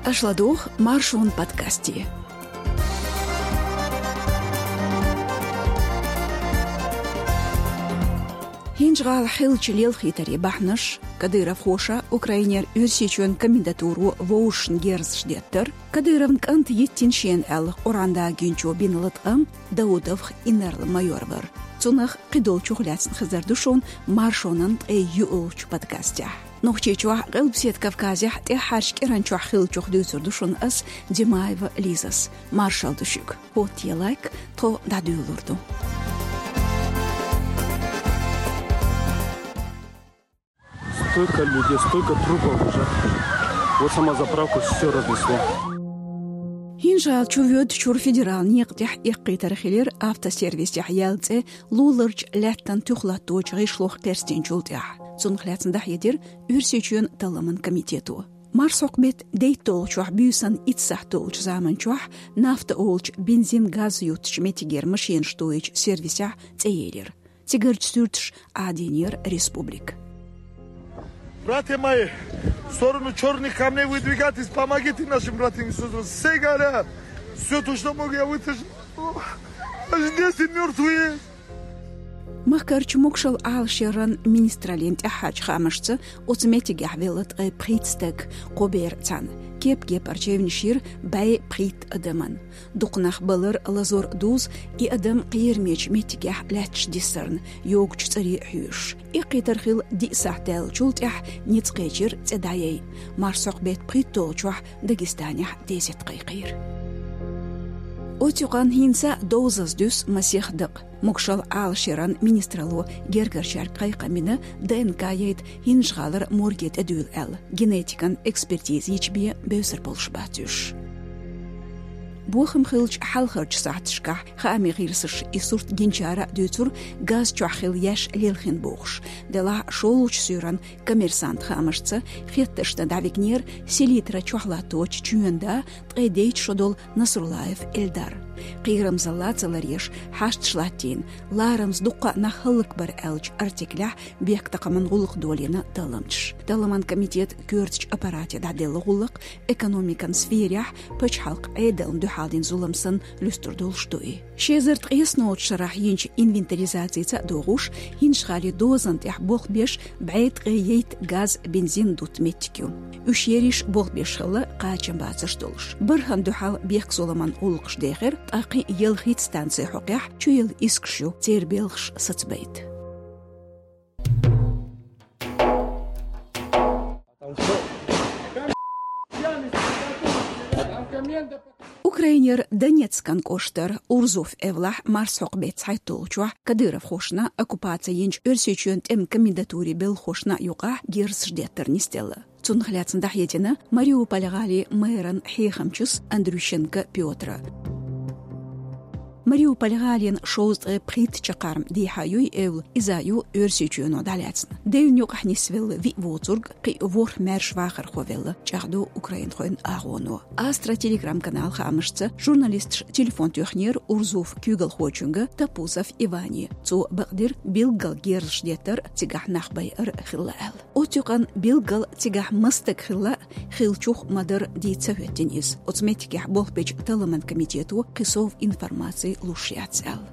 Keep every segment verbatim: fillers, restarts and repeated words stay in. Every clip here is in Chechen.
Аша ладугӀу Маршон подкасте. ХӀинжгӀала хиллача лелхийтарий бахьанаш, кадыровхоша Украинера Оьрсийчоьнан комендатуро вовшашна герзаш деттар, Кадыровн кӀанта йиттина шена аьлла Къуръан дагийначо бина латкъам, Даудовх инарла-майор вар. Цунах, кхыдолчух лаьцна хезар ду шуна Маршонан ткъе йиъолча подкастехь. Нохчийчохь, Къилбаседа Кавказехь, тӀаьххьарча кӀиранчохь хиллачух дуьйцур ду шуна ас, Димаева Лизас. Маршалла ду шуьга. ХӀоттае лайк, тхо дӀадуьйлур ду. Столько людей, столько трупов уже. Вот сама заправка, все разнесло. ХӀинжгӀала чу воьдучуьра федералан некъа тӀехь эккхийтар хилира автосервисехь яьлла цӀе луларча лаьттан туьха латточу гӀишлох кхерстинчул тӀаьхьа. Цунах лаьцна дӀахьедира Оьрсийчоьнан талламан комитето. Марсхьокху беттан дейтталгӀачохь буьйсанна итт сахьт долчу заманчохь «Нафта» олучу бензин-газ юттучу меттигера машинаш тоечу сервисехь цӀе елира. Цигарчу суьрташа Ӏадийнера республика. Братья мои, в сторону Черных камней выдвигайтесь, помогите нашим братьям и сестрам. Все горят. Все то, что могу, я вытащу. Аж десять мертвые. Махкарчу могашалла Ӏалашъяран министраллин тӀаьххьарчу хаамашца, оцу меттигехь велла ткъе пхийтта стаг, кхо бер цхьаьна. Кеп-кепара чевнаш йира бӀе пхийтта адамна. Дукха нах балар, лазор дузу и адам кхерамечу меттигехь лаьтташ диссарна, йогучу цӀаре хьоьжуш. Эккхийтар хилла диъ сахьт даьллачул тӀаьхьа ницкъ кхечира цӀе дӀаяйа. Марсхьокху беттан пхийтталгӀачохь Дагестанехь дезетта кхайкхийра. Оцу юкъанна хӀинца а довзаза дуьсу масех дакъа. Могашалла Ӏалашъяран министралло гергарчаьрга кхайкхам бина, ДНК яйта ХӀинжгӀалара морге тӀедуьйла аьлла, генетикан экспертиза йича бен бевзар болуш бац уьш. Бохам хиллачу хьалхарчу сахьташкахь хаамийн гӀирсаша и сурт гинчара а дуьйцура, газ чохь хилла еш лелхина бохуш. Делахь а шолгӀачу суьйранна «Коммерсант» хаамашца хеттаршна дӀавигнера селитра чохь латточу чоьнан да, ткъе дейтта шо долу Насруллаев Эльдар. Кхерамзалла ца ларъеш, хьашташ латтийна, ларамаза дуккха а нах хӀаллакбар аьллачу артиклехь бехктакхаман гӀуллакх долийна талламчаша. Талламан комитетан коьртачу аппарате дӀаделла гӀуллакх экономикан сферехь пачхьалкхан Ӏедална дуьхьал дина зулам санна луьстур долуш ду и. Ши эзар ткъеснолгӀачу шарахь йинчу инвентаризацица а догӀуш, ХӀинжгӀалин дозанна тӀехь болх беш бӀе ткъе дейтта газ, бензин дутту меттиг ю. Уьш ерриш болх беш хилла кхачамбацарш долуш. БархӀанна дуьхьал бехкзуламан гӀуллакхаш дехира, ткъа кхин а ялхитта станци хьокъехь чуелла искаш ю, церан белхаш сацабайта. Украинера Донецкан кӀоштара Урзуф эвлахь марсхьокху беттан цхьайтталгӀачохь кадыровхошна оккупаци йинчу Оьрсийчоьнан тӀеман комендатурин белхахошна а юкъахь герзаш деттар нисделла. Цунах лаьцна дӀахьедина Мариуполь-гӀалин мэран хьехамчас Андрющенко Пётра. Мариуполь-гӀалина шовзткъе пхийтта чаккхарма дехьа ю и эвла, иза ю Оьрсийчоьно дӀалаьцна. Девнна юкъахь нисвелла виъ воцург, кхин а ворхӀ маьрша вахархо велла, чӀагӀдо украинхойн агӀоно. Астра Telegram-каналан хаамашца, журналисташа телефон тоьхнера Урзуфан куьйгалхочуьнга Топузов Иване. Цо бакъдира билггал герзаш деттар а, цигахь нах байар а хилла аьлла. Оцу юкъанна билггал цигахь маса стаг хилла а, хиллачух ма-дарра дийца ца хӀоьттина иза. Оцу меттигехь болх бечу талламан комитето кхин сов информаци луш яц аьлла.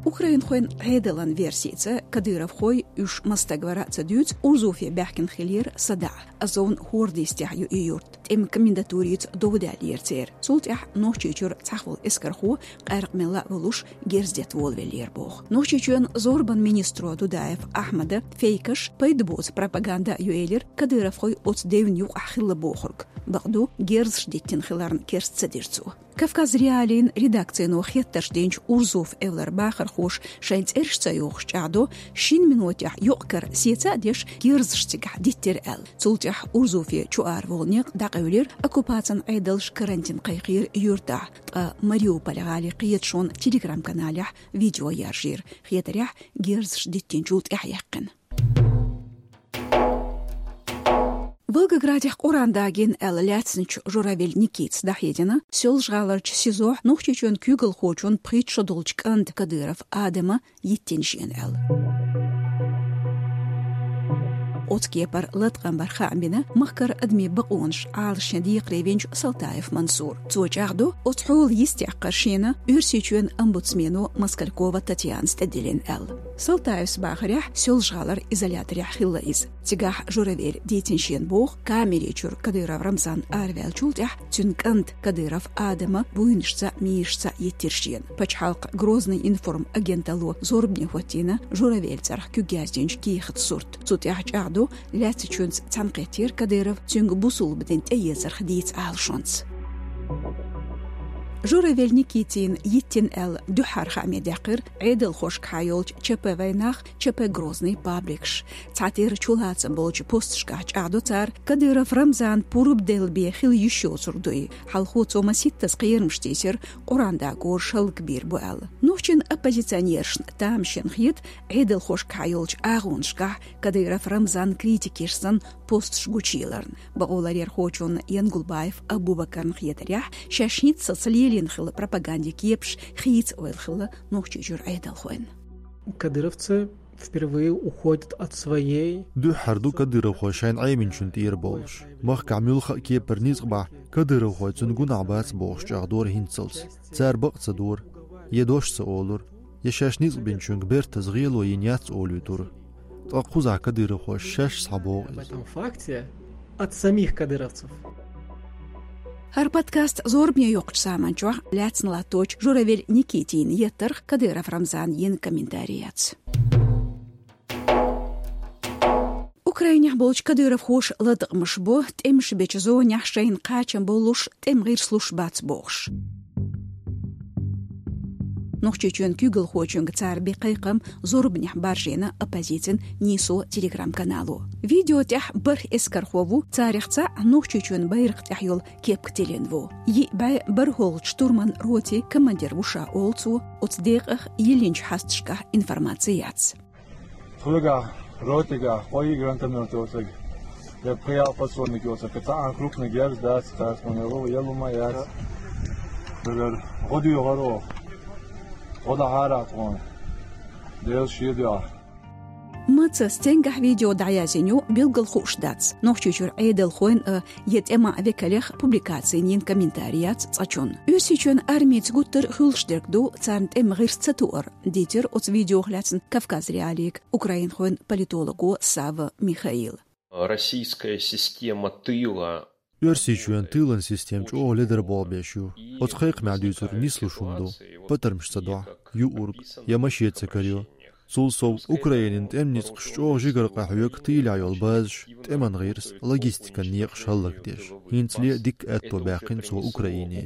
Украинхойн Ӏедалан версица, кадыровхой, уьш маса стаг вара а ца дуьйцу, Урзуфе баьхкина хиллера садаӀа. Азовн хӀордан йистехь ю и юрт. ТӀеман комендатурица дов даьллера церан. Цул тӀаьхьа Нохчийчуьра цхьахволу эскархо, къаьркъа мелла а волуш, герз детта волавеллера боху. Нохчийчоьнан зорбанан министро Дудаев Ахьмада фейкаш, пайда боцу пропаганда ю элира кадыровхой оцу девнна юкъахь хилла бохург. Бакъду, герзаш диттина хиларна керста ца дира цо. Кавказ.Реалиин редакцино хеттарш динчу Урзуф эвлара бахархоша шайн цӀераш ца йохуш чӀагӀдо, шина минотехь юкъ-кара сеца а деш, герзаш цигахь диттира аьлла. Цул тӀаьхьа Урзуфе чу-ара волу некъ дӀакъевлира, оккупацин Ӏедалша карантин кхайкхийра юьртахь, ткъа Мариуполь-гӀалин кхеташонан Telegram-каналехь видео яржийра, хетарехь, герзаш диттинчул тӀаьхьаяьккхина. Волгоградехь Къуръан дагийна аьлла лаьцначу Журавель Никитас дӀахьедина, Соьлжа-ГӀаларчу СИЗО-хь Нохчийчоьнан куьйгалхочун пхийтта шо долчу кӀанта Кадыров Адама йиттина шена аьлла. Оцу кепара латкъам бар хаам бина махкара адамийн бакъонаш Ӏалашъян декхаре винчу Салтаев Мансура. Цо чӀагӀдо, оцу хьолан йистехкар шена Оьрсийчоьнан омбудсмено Москалькова Татьянас тӀедиллина аьлла. Салтаевс бахарехь, Соьлжа-ГӀалара изоляторехь хилла иза. Цигахь Журавель дийцина шена боху, камери чуьра Кадыров Рамзан араваьллачул тӀаьхьа цуьнан кӀанта Кадыров Адама буйнашца, мийрашца йиттира шена. Пачхьалкхан Грозный информ агенталло зорбане хӀоттийна Журавелан цӀарах куьг яздинчу кехатан сурт. Цу тӀехь чӀагӀдо, лаьцначуьнца цхьаьнакхеттера Кадыров цуьнга бусулба дин тӀеэцарх дийца Ӏалашонца. Журавель Никитина йиттина аьлла дуьххьара хааме даьккхира Ӏедалхошкахьа йолчу ЧП «Вайнах», ЧП «Грозный» пабликаш. Цхьатерра чулацам болчу посташкахь чӀагӀдо цара, Кадыров Рамзан пурба делла бен хила йиш йоцург ду и. Хьалхо цо масийттаза кхерамаш тийсира, Къуръан дакъораш хӀаллакбийр бу аьлла. Нохчийн оппозиционерашна тамашийна хета Ӏедалхошкахьа йолчу агӀонашкахь Кадыров Рамзанан критикех санна посташ гучуеларна. Бакъоларъярхочунна Янгулбаев Абубакарна хетарехь, шаьш хӀинццалц лелийна хилла пропагандин кепаш хийца ойла хилла Нохчийчуьра Ӏедалхойн. Кадыровцы впервые уходят от своей. Дуьххьара ду кадыровхой шайна Ӏеминчун тӀера болуш. Махкахь муьлхха а кепара ницкъ бахь, кадыровхой цуьнан гунахь бац бохуш чӀагӀдора хӀинццалц. Цара бакъ ца дора, я дош ца олура, я шаьш ницкъ бинчуьнга бертаза гӀело йина яц олуьйтура. Ткъа кхузахь кадыровхой шаьш схьабогӀу иза. В этом факте от самих кадыровцев. ХӀара подкаст зорбане йоккхучу саман чохь лаьцна латточу Журавель Никитина еттарх Кадыров Рамзана йина комментарий яц. Украинехь болчу кадыровхоша латкъамаш бо, тӀемаш бечу зонехь шайна кхачам болуш, тӀеман гӀирс луш бац бохуш. Нохчийчоьнан куьйгалхочуьнга цара бен кхайкхам зорбанехь баржийна оппозицин «Нийсо» телеграм-канало. Видео тӀехь бархӀ эскархо ву, царах цхьаъ Нохчийчоьнан байракх тӀехь йолу кепка тиллина ву. Йиъ бӀе бархӀолгӀачу штурман ротин командир ву ша, олу цо, оцу декъах йиллинчу хьасташкахь информаци яц. Тхуьгахь, ротигахь, кхо-йиъ гранатомёт йоцург, я пхи-ялх подствольник йоцург, цхьаъ крупный герз дац, царца ма ялу, ялу ма яц. Дагар гӀо доьхур оха. ГӀо дахьара тхуна. Дела шен дуьхьа. Маца, стенгахь видео дӀаязйина ю, билггал хууш дац. Нохчийчуьра Ӏедалхойн а, я тӀеман векалех публикацина йина комментарий яц цкъачунна. Оьрсийчоьнан армица гуттар а хуьлуш дерг ду царна тӀеман гӀирс ца тоар, дийцира оцу видеох лаьцна Кавказ.Реалиига украинхойн политолого Савва Михаила. Российская система тыла. Оьрсийчоьнан тылан система чӀогӀа ледар болх беш ю. Оцу кхайкхамехь дуьйцург нислуш хӀума ду. Патармаш ца дохь, юург, я машен ца карайо. Цул сов, Украинан тӀеман ницкъаш чӀогӀа жигара къахьоьгу тылехь йолу базаш, тӀеман гӀирс, логистикан некъаш хӀаллакдеш. ХӀинцале дикка аьтто баьккхина цо Украине.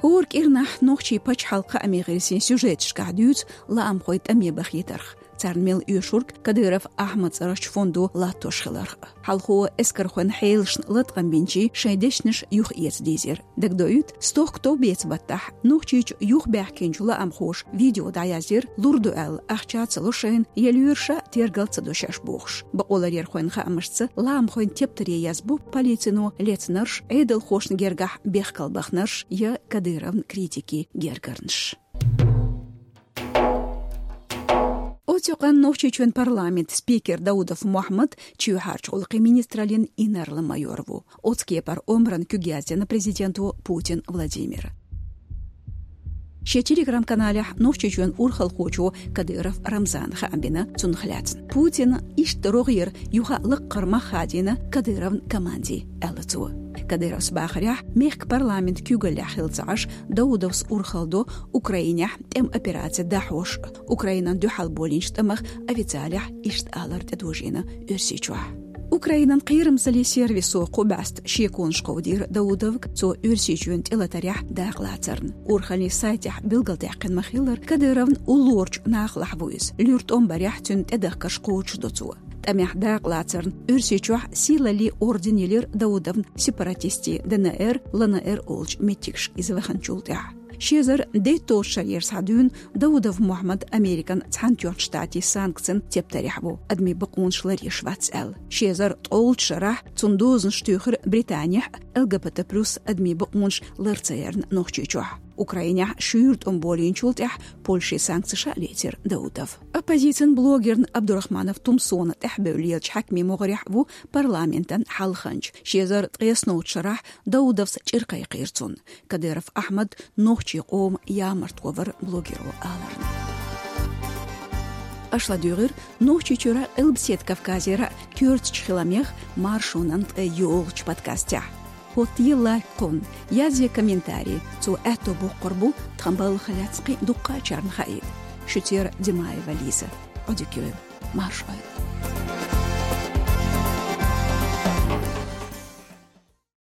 ХӀора кӀирнахь нохчийн пачхьалкхан хаамийн гӀирсийн сюжеташкахь дуьйцу лаамхой тӀаме бахийтарх, царна мел оьшург Кадыров Ахьмадан цӀарахчу фондо латтош хиларх. Хьалхо эскархойн хьелашна латкъам бинчий шайн дешнаш юхаэца дийзира. Дагадоуьйту, стохка товбеца баттахь Нохчийчу юхабаьхкинчу лаамхоша видео дӀаяздира, лур ду аьлла, ахча а ца ло шайна, я лоьраша тергал а ца до шаьш бохуш. Бакъоларъярхойн хаамашца, лаамхойн тептаре язбо полицино лецнарш, Ӏедалхошна гергахь бехкал бахнарш я Кадыровн критикийн гергарнаш. Оцу юкъанна Нохчийчоьнан парламентан спикер Даудов Мохьмад чоьхьарчу гӀуллакхийн министраллин инарла-майор ву. Оцу кепара омранан куьг яздина президенто Путин Владимира. Шен телеграм-каналехь Нохчийчоьнан урхалхочо Кадыров Рамзана хаам бина цунах лаьцна. Путина иштта рогӀера юха а лаккхара мах хадийна Кадыровн команде, аьлла цо. Кадыровс бахарехь, мехкан парламентан куьйгаллехь хилла ца Ӏаш, Даудовс урхалла до Украинехь тӀеман операци дӀахьош, Украинана дуьхьал болийначу тӀамах официалехь иштта алар тӀедожийна Оьрсийчохь. Украинан кхерамзаллин сервисо кху бӀаьста шеконаш кховдийра Даудовга цо Оьрсийчоьнан тӀелатарехь дакъалацарна. Урхаллин сайтехь билгалдаьккхина ма-хиллара, Кадыровн уллорачу нахалахь ву иза. Луьра тӀом барехь цуьнан тӀедахкарш кхочушдо цо. ТӀамехь дакъалацарна Оьрсийчохь Сийлаллин орден елира Даудовна сепаратистийн ДНР, ЛНР олучу меттигашка иза ваханчул тӀаьхьа. Ши эзар дейтталгӀачу шарера схьа дуьйна Даудов Мохьмад Американ Цхьаьнатоьхначу Штатийн санкцийн тептарехь ву, адамийн бакъонаш ларъеш вац аьлла. Ши эзар ткъолгӀачу шарахь цунна дозанаш туьйхира Британехь а, ЛГБТ плюс адамийн бакъонаш лар ца ярна Нохчийчохь. Украинехь шуьйра тӀом болийначул тӀаьхьа Польшин санкцеш а лецира Даудов. Оппозицин блогерна Абдурахманов Тумсона тӀехбевллача хьаькамийн могӀарехь ву парламентан хьалханча. Ши эзар ткъаесналгӀача шарахь Даудовс чӀир кхайкхийра цунна. Кадыров Ахьмад нохчийн къоман ямартхо вара блогеро аларна. Аша ладугӀура Нохчийчуьра, Къилбаседа Кавказера коьртачу хиламех маршонан тӀе йолчу подкастехь. ХӀоттае лайк кхунна, язъе комментарий, цо аьтто боккхур бу тхан балхах лаьцна кхин дуккхачарна хаийта. Шуьцера Димаева Лиза. Ӏодика йойла. Маршалла.